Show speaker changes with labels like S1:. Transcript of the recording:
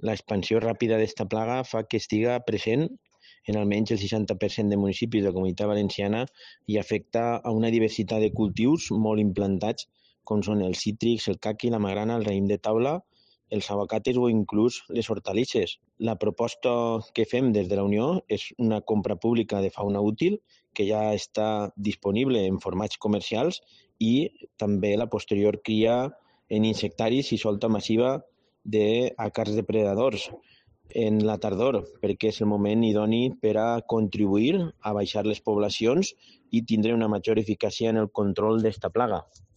S1: L'expansió ràpida d'esta plaga fa que estiga present en almenys el 60% de municipis de la Comunitat Valenciana i afecta a una diversitat de cultius molt implantats, com són els cítrics, el caqui, la magrana, el raïm de taula, els aguacates o inclús les hortalisses. La proposta que fem des de la Unió és una compra pública de fauna útil que ja està disponible en formats comercials i també la posterior cria en insectaris i solta massiva d'àcars depredadors en la tardor, perquè és el moment idoni per a contribuir a baixar les poblacions i tindre una major eficàcia en el control d'esta plaga.